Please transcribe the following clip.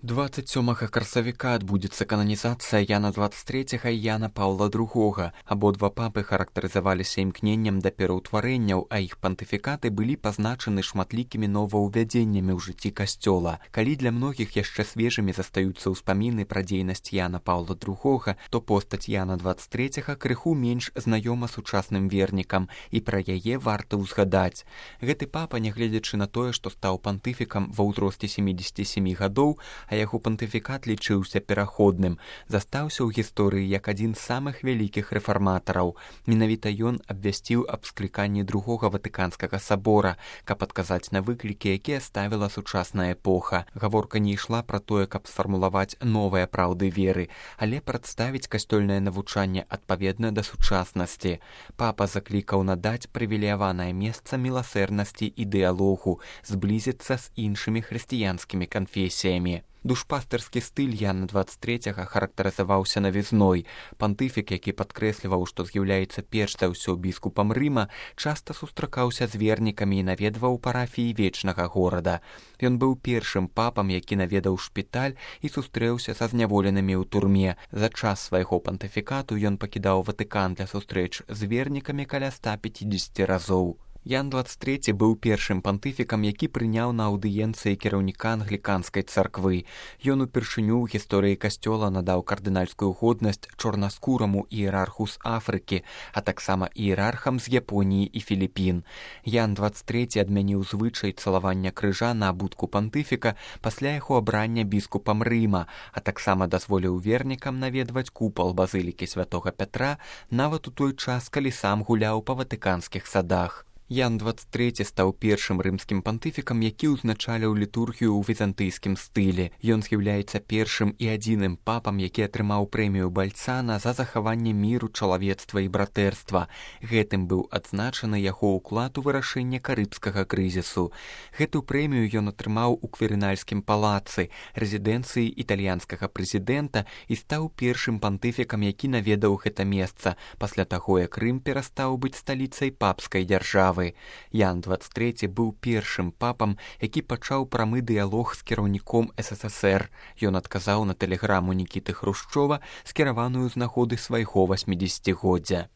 27 красавіка адбудзецца кананізацыя Яна 23 і Яна Паўла II. Абодва папы характарызаваліся імкненнем да пераўтварэнняў, а іх пантыфікаты былі пазначаны шматлікімі новаўвядзеннямі ў жыцці касцёла. Калі для многіх яшчэ свежымі застаюцца ўспаміны пра дзейнасць Яна Паўла II, то постаць Яна 23 крыху менш знаёма сучасным вернікам, і пра яе варта ўзгадаць. Гэты папа, нягледзячы на тое, што стаў пантыфікам ва ўзросце 77 гадоў, а яго пантыфікат лічыўся пераходным, застаўся ў гісторыі як адзін з самых вялікіх рэфарматараў. Менавіта ён абвясціў аб скліканні другога Ватыканскага сабора, каб адказаць на выклікі, якія ставіла сучасная эпоха. Гаворка не ішла пра тое, каб сфармулаваць новыя праўды веры, але прадставіць касцёльнае навучанне адпаведна да сучаснасці. Папа заклікаў надаць прывілеяванае месца міласэрнасці і дыялогу, зблізіцца з іншымі хрысціянскімі канфесіямі. Душпастэрскі стыль Яна 23 характарызаваўся навізной. Пантыфік, які падкрэсліваў, што з'яўляецца перш за ўсё біскупам Рыма, часта сустракаўся з вернікамі і наведваў парафіі вечнага горада. Ён быў першым папам, які наведаў шпіталь і сустрэўся са зняволенымі ў турме. За час свайго пантыфікату ён пакідаў Ватыкан для сустрэч з вернікамі каля 150 разоў. Ян 23 быў першым пантыфікам, які прыняў на аўдыенцыі кіраўніка англіканскай царквы. Ён упершыню ў гісторыі касцёла надаў кардынальскую годнасць чорнаскураму іерарху з Афрыкі, а таксама іерархам з Японіі і Філіпін. Ян 23 адмяніў звычай цалавання крыжа на абутку пантыфіка пасля яго абрання біскупам Рыма, а таксама дазволіў вернікам наведваць купал базылікі святога Пятра нават у той час, калі сам гуляў па ватыканскіх садах. Ян 23 стаў першым рымскім пантыфікам, які ўзначаліў літургію ў візантыйскім стылі. Ён з'яўляецца першым і адзіным папам, які атрымаў прэмію Бальцана за захаванне міру, чалавецтва і братэрства. Гэтым быў адзначаны яго ўклад у вырашэнне карыбскага крызісу. Гэту прэмію ён атрымаў у Кверінальскім палацы, рэзідэнцыі італьянскага прэзідэнта, і стаў першым пантыфікам, які наведаў гэта месца, пасля таго, як Рым перастаў быць сталіцай папскай дзяржавы. Ян 23 быў першым папам, які пачаў прамы дыялог з кіраўніком СССР. Ён адказаў на тэлеграму Нікіты Хрушчова, скіраваную з нагоды свайго 80-годдзя.